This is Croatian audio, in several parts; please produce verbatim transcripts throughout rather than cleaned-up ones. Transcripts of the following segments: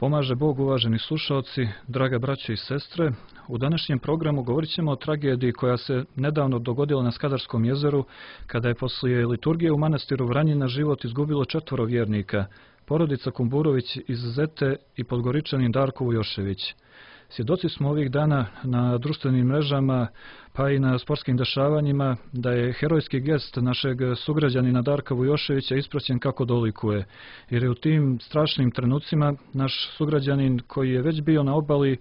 Pomaže Bog, uvaženi slušalci, draga braćo i sestre. U današnjem programu govorit ćemo o tragediji koja se nedavno dogodila na Skadarskom jezeru, kada je poslije liturgije u manastiru Vranjina život izgubilo četvoro vjernika, porodica Kumburović iz Zete i Podgoričanin Darko Vujošević. Svjedoci smo ovih dana na društvenim mrežama pa i na sportskim dešavanjima da je herojski gest našeg sugrađanina Darka Vujoševića ispraćen kako dolikuje, jer je u tim strašnim trenucima naš sugrađanin koji je već bio na obali,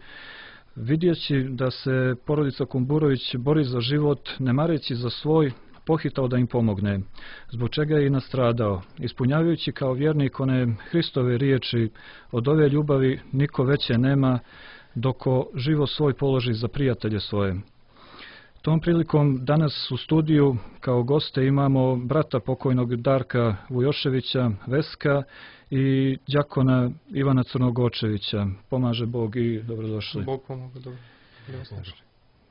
vidjeći da se porodica Kumburović bori za život, ne mareći za svoj, pohitao da im pomogne, zbog čega je i nastradao, ispunjavajući kao vjernik one Hristove riječi: od ove ljubavi niko veće nema, doko živo svoj položi za prijatelje svoje. Tom prilikom danas u studiju kao goste imamo brata pokojnog Darka Vujoševića, Veska, i đakona Ivana Crnogočevića. Pomaže Bog i dobrodošli. Bog pomogu, dobro.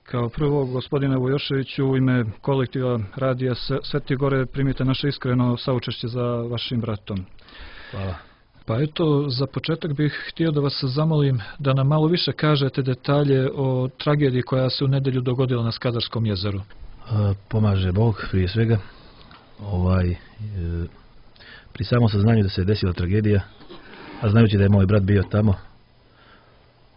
Kao prvo, gospodine Vujoševiću, u ime kolektiva Radija Sveti Gore primite naše iskreno saučešće za vašim bratom. Hvala. Pa eto, za početak bih htio da vas zamolim da nam malo više kažete detalje o tragediji koja se u nedelju dogodila na Skadarskom jezeru. A, pomaže Bog prije svega. Ovaj, e, pri samom saznanju da se je desila tragedija, a znajući da je moj brat bio tamo,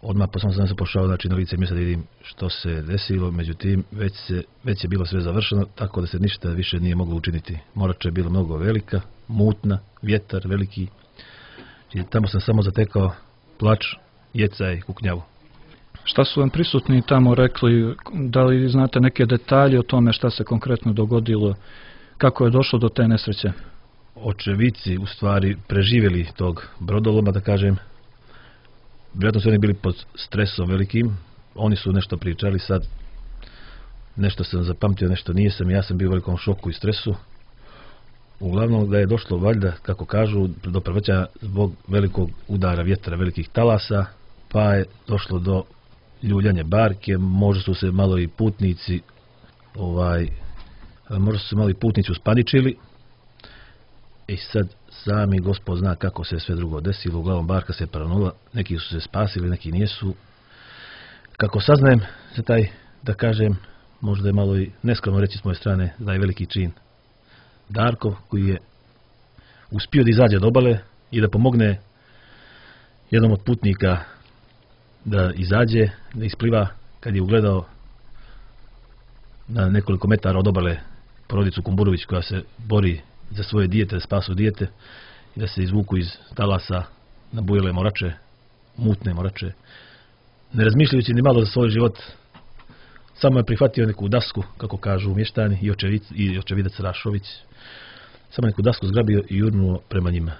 odmah po samom saznanju sam pošao znači, na lice mjesta da vidim što se desilo, međutim već, se, već je bilo sve završeno, tako da se ništa više nije moglo učiniti. Morača je bila mnogo velika, mutna, vjetar veliki. I tamo sam samo zatekao plač, jeca i kuknjavu. Šta su vam prisutni tamo rekli? Da li znate neke detalje o tome šta se konkretno dogodilo? Kako je došlo do te nesreće? Očevici u stvari preživjeli tog brodoloma, da kažem. Vjerojatno su oni bili pod stresom velikim. Oni su nešto pričali sad. Nešto sam zapamtio, nešto nije sam. Ja sam bio u velikom šoku i stresu. Uglavnom da je došlo valjda, kako kažu, do prevrćanja zbog velikog udara vjetra, velikih talasa, pa je došlo do ljuljanja barke, možda su se malo i putnici ovaj, možda su se malo i putnici uspaničili i sad sami Gospod zna kako se sve drugo desilo. Uglavnom barka se paranula, neki su se spasili, neki nijesu. Kako saznajem za taj, da kažem, možda je malo i neskromno reći s moje strane, da je veliki čin Darko, koji je uspio da izađe od obale i da pomogne jednom od putnika da izađe, da ispliva, kad je ugledao na nekoliko metara od obale porodicu Kumburović koja se bori za svoje dijete, da spasu dijete i da se izvuku iz talasa na bujele morače, mutne morače. Ne razmišljajući ni malo za svoj život, samo je prihvatio neku dasku, kako kažu mještani, i, očevic, i očevidac Rašović. Samo neku dasku zgrabio i jurnuo prema njima.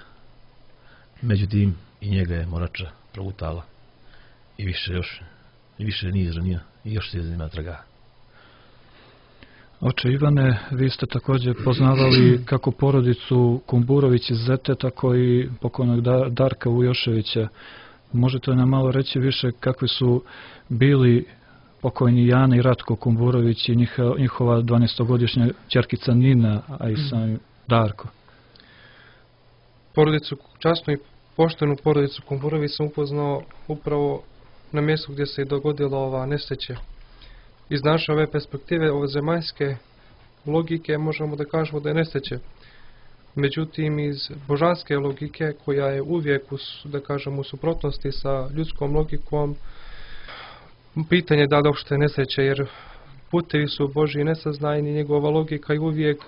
Međutim, i njega je morača progutala. I više još, i više nije izranio, i još se ima traga. Oče Ivane, vi ste također poznavali kako porodicu Kumburović iz Zete, tako i pokojnog Darka Vujoševića. Možete nam malo reći više kakvi su bili pokojni Jana i Ratko Kumburović i njihova dvanaestogodišnja ćerkica Nina, a i sam Darko? Porodicu, časnu i poštenu porodicu Kumburović sam upoznao upravo na mjestu gdje se je dogodila ova nesreća. Iz naše ove perspektive, ove zemaljske logike, možemo da kažemo da je nesreće. Međutim, iz božanske logike, koja je uvijek u, da kažemo, u suprotnosti sa ljudskom logikom, pitanje je da li uopšte nesreće, jer putevi su Božji nesaznajni, njegova logika je uvijek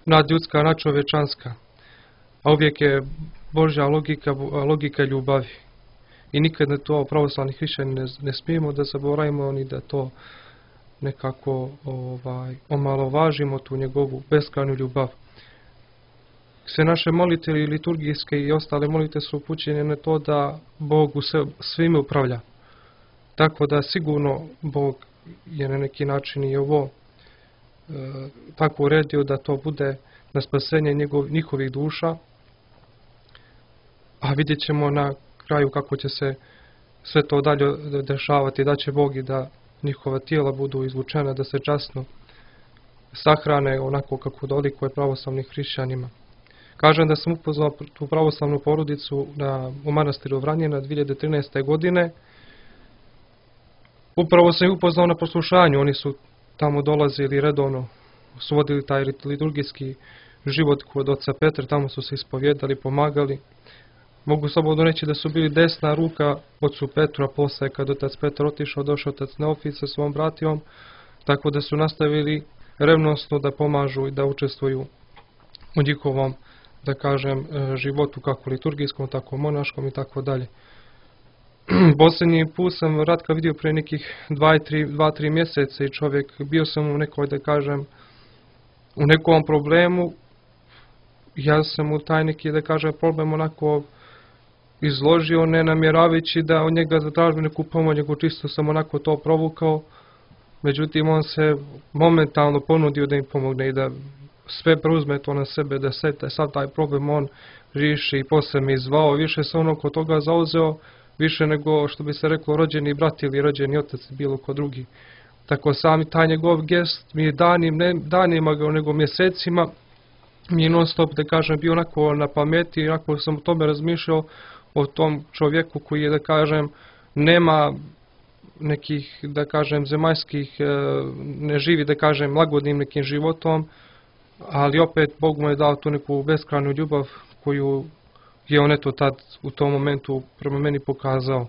nadljudska, nadčovečanska. A uvijek je Božja logika, logika ljubavi. I nikad ne to pravoslavni hrišćani ne, ne smijemo da zaboravimo ni da to nekako ovaj, omalovažimo, tu njegovu beskrajnu ljubav. Sve naše molitve liturgijske i ostale molitve su upućene na to da Bog u svime upravlja. Tako da sigurno Bog je na neki način i ovo e, tako uredio da to bude na spasenje njegov, njihovih duša. A vidjet ćemo na kraju kako će se sve to dalje dešavati, da će Bog i da njihova tijela budu izvučena, da se časno sahrane onako kako dolikuje pravoslavnim hrišćanima. Kažem da sam upoznao tu pravoslavnu porodicu na, u manastiru Vranjina dvije hiljade trinaeste. godine. Upravo sam ih upoznao na poslušanju, oni su tamo dolazili redovno, su vodili taj liturgijski život kod oca Petra, tamo su se ispovjedali, pomagali. Mogu slobodno reći da su bili desna ruka ocu Petru, a posle kad otac Petar otišao, došao otac Neofit sa svom bratijom, tako da su nastavili revnosno da pomažu i da učestvuju u njihovom, da kažem, životu, kako liturgijskom, tako monaškom i tako dalje. Posljednji put sam Ratka vidio pre nekih dva tri mjeseca i čovjek, bio sam u nekoj, da kažem, u nekom problemu. Ja sam u taj neki, da kažem, problem onako izložio, ne namjeravajući da od njega zatražim neku pomoć, nego čisto sam onako to provukao. Međutim, on se momentalno ponudio da im pomogne i da sve preuzme to na sebe, da se sav taj problem on riješi i posle mi zvao. Više se ono kod toga zauzeo, više nego što bi se reklo rođeni brat ili rođeni otac, bilo ko drugi. Tako sami taj njegov gest mi je danim, ne danima nego mjesecima, mi je non stop, da kažem, bio onako na pameti i onako sam o tome razmišljao, o tom čovjeku koji je, da kažem, nema nekih, da kažem, zemaljskih, ne živi, da kažem, lagodnim nekim životom, ali opet Bog mu je dao tu neku beskrajnu ljubav koju je on eto tad u tom momentu prema meni pokazao.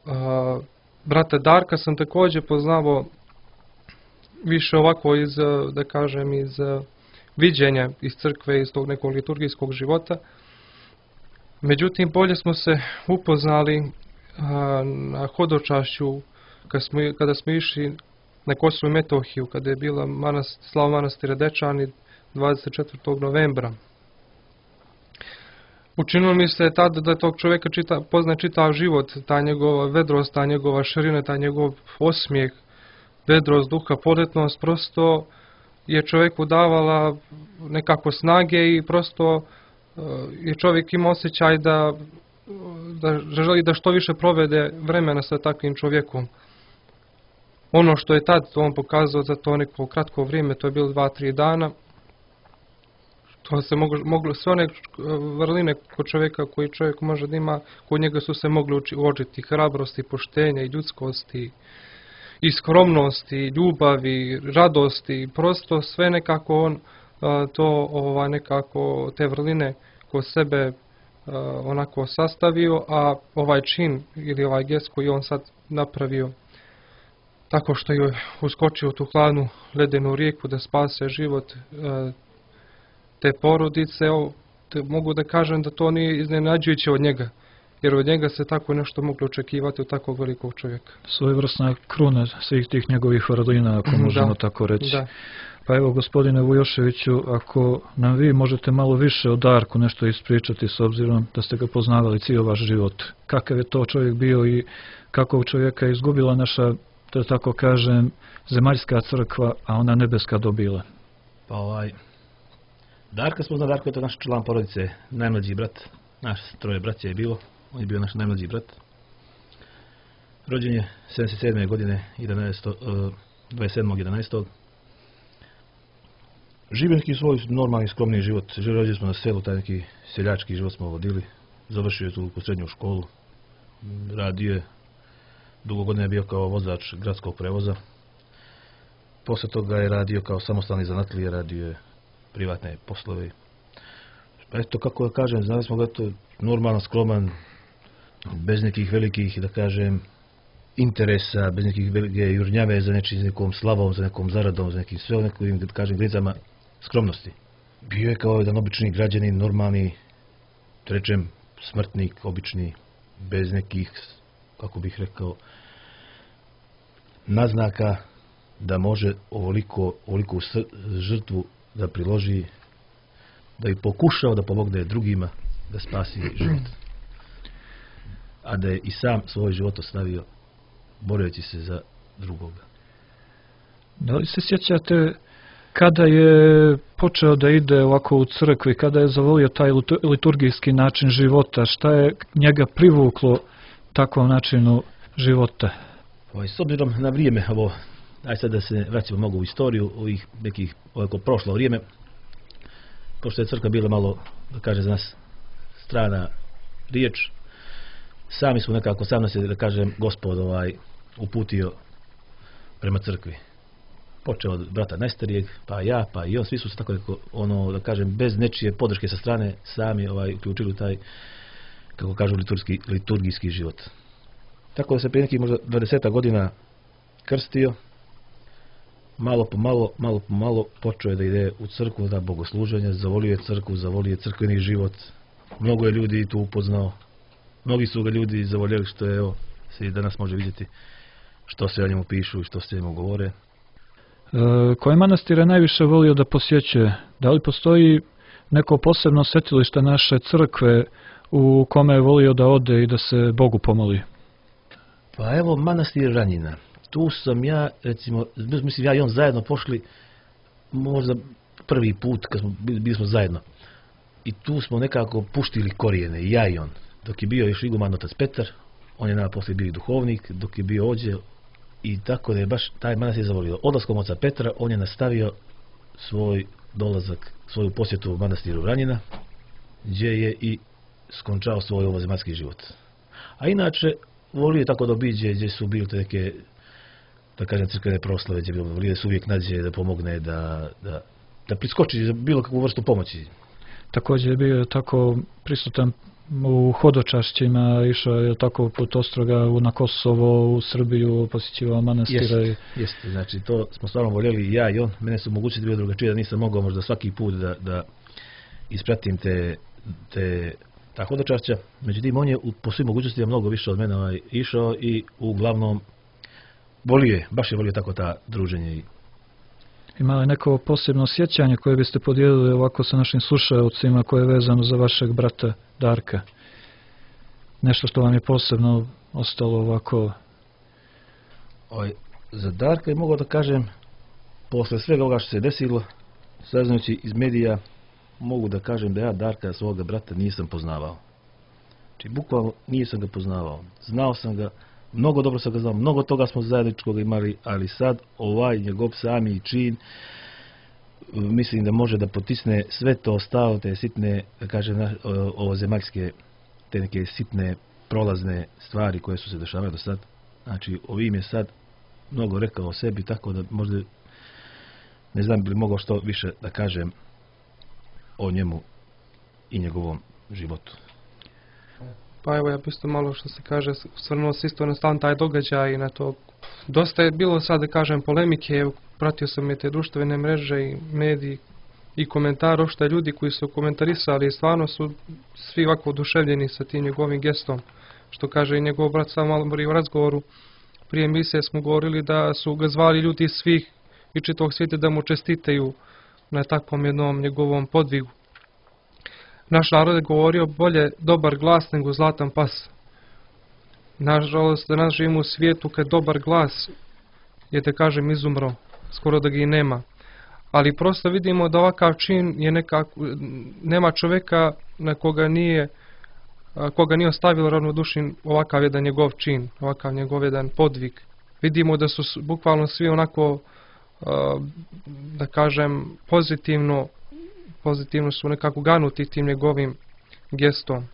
A, brata Darka sam također poznavao više ovako iz, da kažem, iz viđenja iz crkve, iz tog nekog liturgijskog života. Međutim, bolje smo se upoznali a, na hodočašću kada smo, kada smo išli na Kosovo i Metohiju, kada je bila manast, slava manastira Dečani dvadeset četvrtog novembra. Učinilo mi se tada da tog čovjeka čita, pozna čitav život, ta njegova vedrost, ta njegova širina, ta njegov osmijeh, vedrost duha, podetnost, prosto je čovjeku davala nekako snage i prosto je čovjek imao osjećaj da, da želi da što više provede vremena sa takvim čovjekom. Ono što je tad on pokazao za to neko kratko vrijeme, to je bilo dva tri dana, to se moglo, moglo sve one vrline kod čovjeka koji čovjek može da ima, kod njega su se mogli uočiti hrabrosti, poštenja i ljudskosti, i skromnosti, i ljubavi, radosti, prosto sve nekako on to ova, nekako te vrline kod sebe onako sastavio, a ovaj čin ili ovaj gest koji on sad napravio tako što je uskočio u tu hladnu ledenu rijeku da spase život te porodice, te mogu da kažem da to nije iznenađujuće od njega, jer od njega se tako nešto moglo očekivati od takvog velikog čovjeka. Svojevrsna kruna svih tih njegovih vrlina, ako možemo da, tako reći. Da. Pa evo, gospodine Vujoševiću, ako nam vi možete malo više o Darku nešto ispričati, s obzirom da ste ga poznavali cijel vaš život. Kakav je to čovjek bio i kakvog čovjeka je izgubila naša, da tako kažem, zemaljska crkva, a ona nebeska dobila? Pa ovaj, Darka smo znali, Darko je to naš član porodice, najmlađi brat, naš troje braća je bilo, on je bio naš najmlađi brat. Rođen je sedamdeset sedme godine, dvadeset sedmog jedanaestog Živio neki svoj normalni, skromni život. Rođeni smo na selu, taj neki seljački život smo vodili. Završio je tu u srednju školu. Radio je, dugo godina je bio kao vozač gradskog prevoza. Posle toga je radio kao samostalni zanatlije, radio je privatne poslove. Pa eto, kako da kažem, znali smo ga to normalan, skroman, bez nekih velikih, da kažem, interesa, bez nekih velike jurnjave za nečim, nekom slavom, za nekom zaradom, za nekim sve nekim, da kažem, granicama skromnosti. Bio je kao jedan obični građanin, normalni, rečem, smrtnik, obični, bez nekih, kako bih rekao, naznaka da može ovoliko, ovoliku žrtvu da priloži, da bi pokušao da pomogne drugima da spasi život. A da je i sam svoj život ostavio boreći se za drugoga. Da li se sjećate kada je počeo da ide ovako u crkvi, kada je zavolio taj liturgijski način života, šta je njega privuklo takvom načinu života? O, s obzirom na vrijeme, ovo, aj sad da se vraćamo mogu u istoriju ovih nekih ovako prošlo vrijeme, pošto je crkva bila malo, da kaže za nas, strana riječ, sami smo nekako, sam nas je, da kažem, Gospod ovaj, uputio prema crkvi. Počeo od brata najstarijeg, pa ja, pa i on, svi su se tako neko, ono, da kažem, bez nečije podrške sa strane sami ovaj, uključili u taj, kako kažu, liturgijski, liturgijski život. Tako da se prije nekih možda dvadeset godina krstio, malo po malo, malo po malo počeo je da ide u crkvu, da bogosluženja, zavolio je crkvu, zavolio je crkveni život. Mnogo je ljudi tu upoznao, mnogi su ga ljudi zavoljeli, što je, evo, se i danas može vidjeti što se o njemu pišu i što se o njemu govore. E, koje manastire najviše volio da posjećuje? Da li postoji neko posebno svetilište naše crkve u kome je volio da ode i da se Bogu pomoli? Pa evo, manastir Ranjina. Tu sam ja, recimo, mislim ja i on zajedno pošli, možda prvi put kad smo bili smo zajedno. I tu smo nekako puštili korijene, i ja i on. Dok je bio još iguman otac Petar, on je nama poslije bio duhovnik, dok je bio ođe, i tako da je baš taj manastir zavolio. Odlaskom oca Petra on je nastavio svoj dolazak, svoju posjetu u manastiru Ranjina, gdje je i skončao svoj ovozemaljski život. A inače, volio je tako da obiđe gdje su bili neke, da kažem, crkvene proslave, gdje volio se uvijek nađe da pomogne, da, da, da priskoči za bilo kakvu vrstu pomoći. Također je bio tako prisutan u hodočašćima, išao je tako put Ostroga na Kosovo, u Srbiju, posjećivao manastire. Jeste, jeste, znači to smo stvarno voljeli i ja i on. Mene su mogućnosti bio drugačije, da nisam mogao možda svaki put da, da ispratim te, te ta hodočašća. Međutim, on je po svim mogućnostima mnogo više od mene ovaj, išao i uglavnom volio je, baš je volio tako ta druženje. Ima li neko posebno sjećanje koje biste podijelili ovako sa našim slušaocima koje je vezano za vašeg brata Darka? Nešto što vam je posebno ostalo ovako? Oj, za Darka je mogao da kažem, posle svega ovoga što se desilo, saznajući iz medija, mogu da kažem da ja Darka, svoga brata, nisam poznavao. Znači, bukvalno nisam ga poznavao. Znao sam ga, mnogo dobro sam ga znao, mnogo toga smo zajedničkog imali, ali sad ovaj njegov sami čin, mislim da može da potisne sve to ostalo, te sitne, da kažem, ovozemaljske, te neke sitne prolazne stvari koje su se dešavale do sad. Znači, ovim je sad mnogo rekao o sebi, tako da možda ne znam bi li mogao što više da kažem o njemu i njegovom životu. Pa evo, ja bi isto malo, što se kaže, osvrnuo se isto na stan taj događaj i na to. Dosta je bilo sad, da kažem, polemike, pratio sam je te društvene mreže i mediji i komentara, što je ljudi koji su komentarisali i stvarno su svi ovako oduševljeni sa tim njegovim gestom. Što kaže i njegov brat sam malo u razgovoru, prije emisije smo govorili da su ga zvali ljudi iz svih i čitavog svijeta da mu čestitaju na takvom jednom njegovom podvigu. Naš narod je govorio bolje dobar glas nego zlatan pas. Nažalost, danas živimo u svijetu kad dobar glas je, da kažem, izumro, skoro da ga i nema. Ali prosto vidimo da ovakav čin je nekako, nema čovjeka na koga nije, koga nije ostavilo ravnodušnim ovakav jedan njegov čin, ovakav njegov jedan podvig. Vidimo da su bukvalno svi onako, da kažem, pozitivno, pozitivno su nekako ganuti tim njegovim gestom.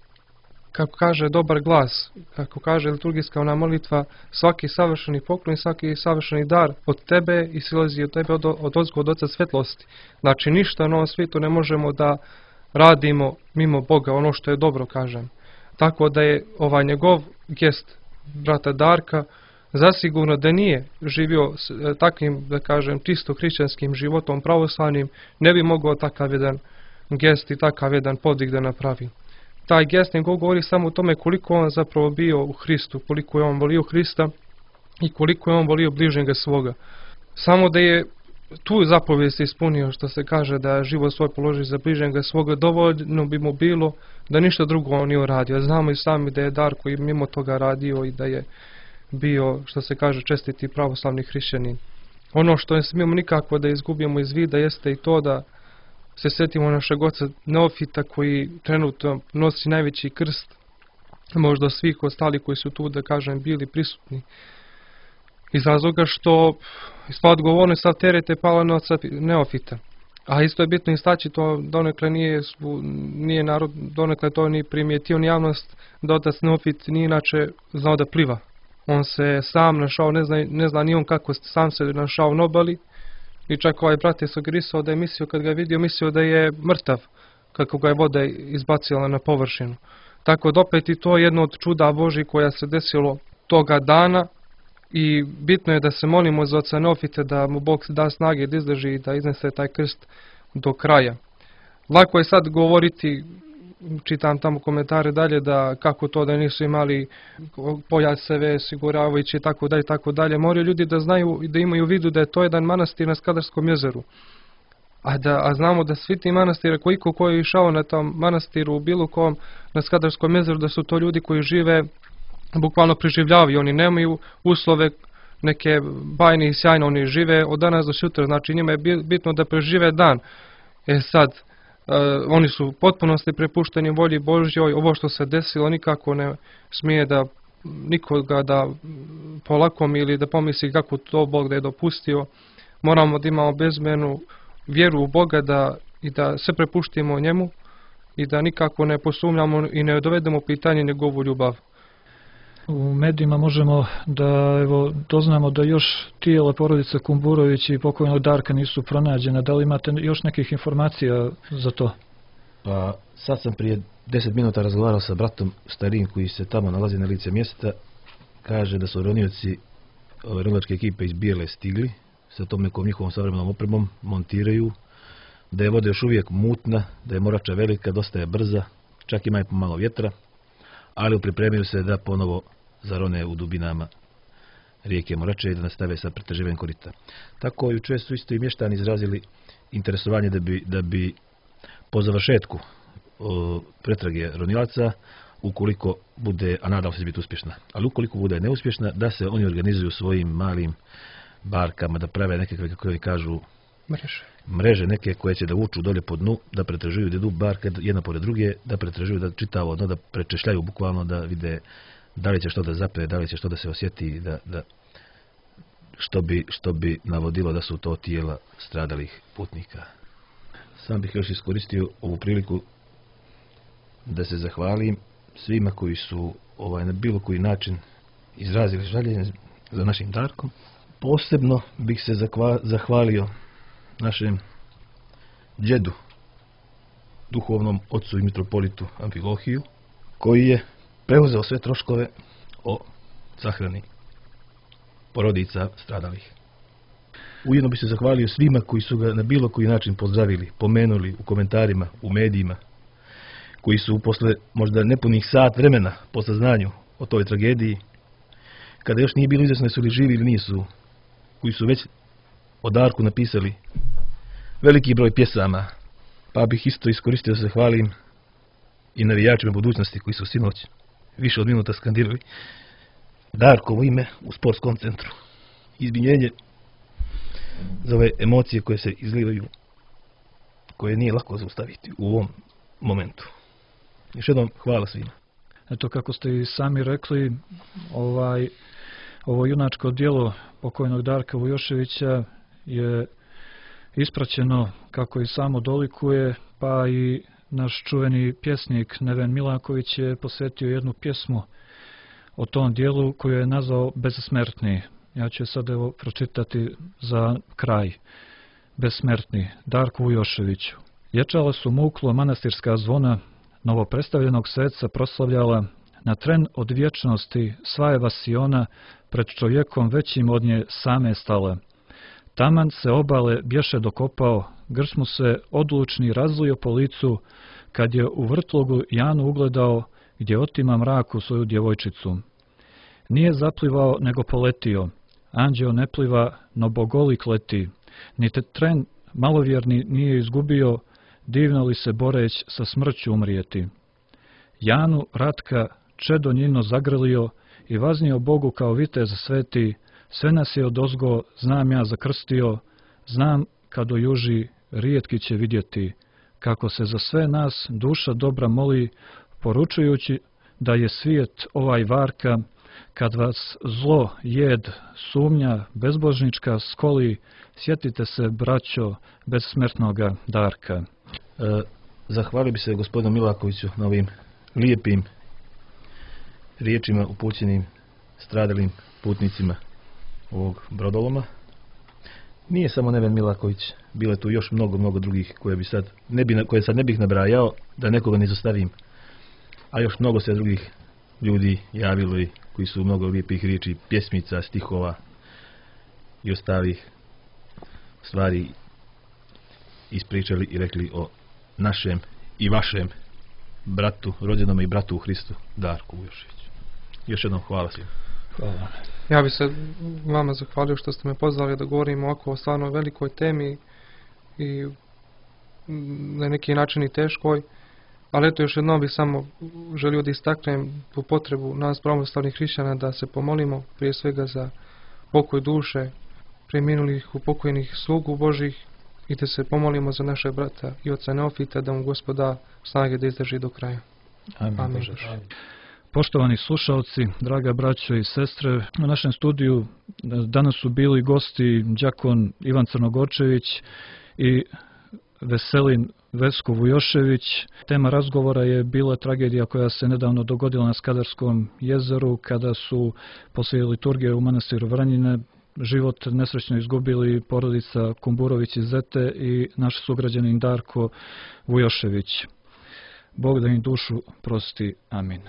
Kako kaže dobar glas, kako kaže liturgijska ona molitva, svaki savršeni poklon i svaki savršeni dar od tebe i silazi od tebe od, od ozgo od Oca svetlosti. Znači ništa na ovom svijetu ne možemo da radimo mimo Boga, ono što je dobro, kažem. Tako da je ovaj njegov gest brata Darka zasigurno da nije živio s takvim, da kažem, čisto hrišćanskim životom pravoslavnim, ne bi mogao takav jedan gest i takav jedan podvig da napravi. Taj gest nego govori samo o tome koliko on zapravo bio u Hristu, koliko je on volio Hrista i koliko je on volio bližnjega svoga. Samo da je tu zapovijest ispunio, što se kaže da život svoj položi za bližnjega svoga, dovoljno bi mu bilo da ništa drugo on nije uradio. Znamo i sami da je Darko i mimo toga radio i da je bio, što se kaže, čestiti pravoslavni hrišćanin. Ono što ne smijemo nikako da izgubimo iz vida jeste i to da se sjetimo našeg oca Neofita koji trenutno nosi najveći krst, možda svih ostali koji su tu, da kažem, bili prisutni. Iz razloga što sva odgovornost, sav teret je pala na oca Neofita. A isto je bitno istaći, to donekle nije, nije narod, donekle to ni primijetio ni javnost, da otac Neofit nije inače znao da pliva. On se sam našao, ne zna, ne zna ni on kako sam se našao na obali, i čak ovaj brat je sugerisao da je mislio, kad ga je vidio, mislio da je mrtav, kako ga je voda izbacila na površinu. Tako da opet i to je jedno od čuda Božji koja se desilo toga dana, i bitno je da se molimo za oca Neofita, da mu Bog da snage da izdrži i da iznese taj krst do kraja. Lako je sad govoriti, čitam tamo komentare dalje, da kako to da nisu imali pojaseve, siguravajući i tako dalje, tako dalje. Moraju ljudi da znaju i da imaju u vidu da je to jedan manastir na Skadarskom jezeru. A, da, a znamo da svi ti manastire, koliko ko je išao na tom manastiru u bilo kom na Skadarskom jezeru, da su to ljudi koji žive, bukvalno preživljavaju, oni nemaju uslove neke bajne i sjajne, oni žive od danas do sutra, znači njima je bitno da prežive dan. E sad, uh, oni su u potpunosti prepušteni volji Božjoj, ovo što se desilo nikako ne smije da nikoga da polakomi ili da pomisli kako to Bog da je dopustio. Moramo da imamo bezmjernu vjeru u Boga da, i da se prepuštimo njemu i da nikako ne posumnjamo i ne dovedemo pitanje njegovu ljubav. U medijima možemo da evo, doznamo da još tijela porodice Kumburović i pokojnog Darka nisu pronađena. Da li imate još nekih informacija za to? Pa sad sam prije deset minuta razgovarao sa bratom starijim koji se tamo nalazi na lice mjesta. Kaže da su ronioci ronilačke ekipe iz Bijele stigli sa tom nekom njihovom savremenom opremom, montiraju, da je voda još uvijek mutna, da je morača velika, dosta je brza, čak ima i pomalo vjetra, ali pripremio se da ponovo zarone u dubinama rijeke Morače i da nastave sa pretraživanjem korita. Tako jučer su isto i mještani izrazili interesovanje da bi, da bi po završetku o, pretrage ronilaca, ukoliko bude, a nadam se će biti uspješna, ali ukoliko bude neuspješna, da se oni organizuju svojim malim barkama, da prave nekakve, kako oni kažu, mreže. mreže neke koje će da vuču dolje po dnu, da pretražuju, da idu barke jedna pored druge, da pretražuju, da čitavo dno, da prečešljaju bukvalno, da vide da li će što da zape, da li će što da se osjeti, da, da što bi, što bi navodilo da su to tijela stradalih putnika. Sam bih još iskoristio ovu priliku da se zahvalim svima koji su ovaj, na bilo koji način izrazili žaljenje za našim Darkom. Posebno bih se zakva, zahvalio našem djedu, duhovnom ocu i mitropolitu Amfilohiju, koji je preuzeo sve troškove o sahrani porodica stradalih. Ujedno bi se zahvalio svima koji su ga na bilo koji način pozdravili, pomenuli u komentarima, u medijima, koji su posle možda nepunih sat vremena po saznanju o toj tragediji, kada još nije bilo izvjesno su li živi ili nisu, koji su već o Darku napisali veliki broj pjesama, pa bih isto iskoristio da se hvalim i navijačima budućnosti koji su sinoć više od minuta skandirali Darkovo ime u sportskom centru. Izvinjenje za ove emocije koje se izlivaju, koje nije lako zaustaviti u ovom momentu. Još jednom hvala svima. Eto, kako ste i sami rekli, ovaj, ovo junačko djelo pokojnog Darka Vujoševića je ispraćeno, kako i samo dolikuje, pa i naš čuveni pjesnik Neven Milaković je posvetio jednu pjesmu o tom dijelu koju je nazvao Bezsmrtni. Ja ću je sad evo pročitati za kraj. Bezsmrtni, Darku Vujoševiću. Ječala su muklo manastirska zvona, novopredstavljenog sveca proslavljala, na tren od vječnosti sva je vasiona pred čovjekom većim od nje same stala. Taman se obale bješe dokopao, grč mu se odlučni razlio po licu, kad je u vrtlogu Janu ugledao, gdje otima mraku svoju djevojčicu. Nije zaplivao, nego poletio, anđeo ne pliva, no bogolik leti, ni te tren malovjerni nije izgubio, divno li se boreć sa smrću umrijeti. Janu Ratka čedo njino zagrlio i vaznio Bogu kao vitez sveti, sve nas je odozgo, znam ja zakrstio, znam kad o juži rijetki će vidjeti, kako se za sve nas duša dobra moli, poručujući da je svijet ovaj varka, kad vas zlo, jed, sumnja, bezbožnička skoli, sjetite se, braćo, bezsmrtnoga Darka. E, zahvalio bi se gospodinu Milakoviću na ovim lijepim riječima upućenim stradalim putnicima ovog brodoloma. Nije samo Neven Milaković, bilo je tu još mnogo, mnogo drugih koje, bi sad, ne bi, koje sad ne bih nabrajao, da nekoga ne izostavim. A još mnogo se drugih ljudi javilo i koji su mnogo lijepih riječi, pjesmica, stihova i ostalih stvari ispričali i rekli o našem i vašem bratu, rođenome i bratu u Hristu, Darku Vujoševiću. Još jednom hvala svima. Hvala. Ja bi se vama zahvalio što ste me pozvali da govorim ovako o stvarno velikoj temi i na neki način i teškoj, ali eto još jednom bih samo želio da istaknem tu potrebu nas pravoslavnih hrišćana da se pomolimo prije svega za pokoj duše preminulih upokojnih slugu Božih i da se pomolimo za naše brata i oca Neofita, da mu Gospod da snage da izdrži do kraja. Amin. Amin. Amin. Poštovani slušalci, draga braćo i sestre, u našem studiju danas su bili gosti đakon Ivan Crnogorčević i Veselin Vesko Vujošević. Tema razgovora je bila tragedija koja se nedavno dogodila na Skadarskom jezeru kada su poslije liturgije u manastiru Vranjine život nesrećno izgubili porodica Kumburović iz Zete i naš sugrađanin Darko Vujošević. Bog da im dušu prosti. Amin.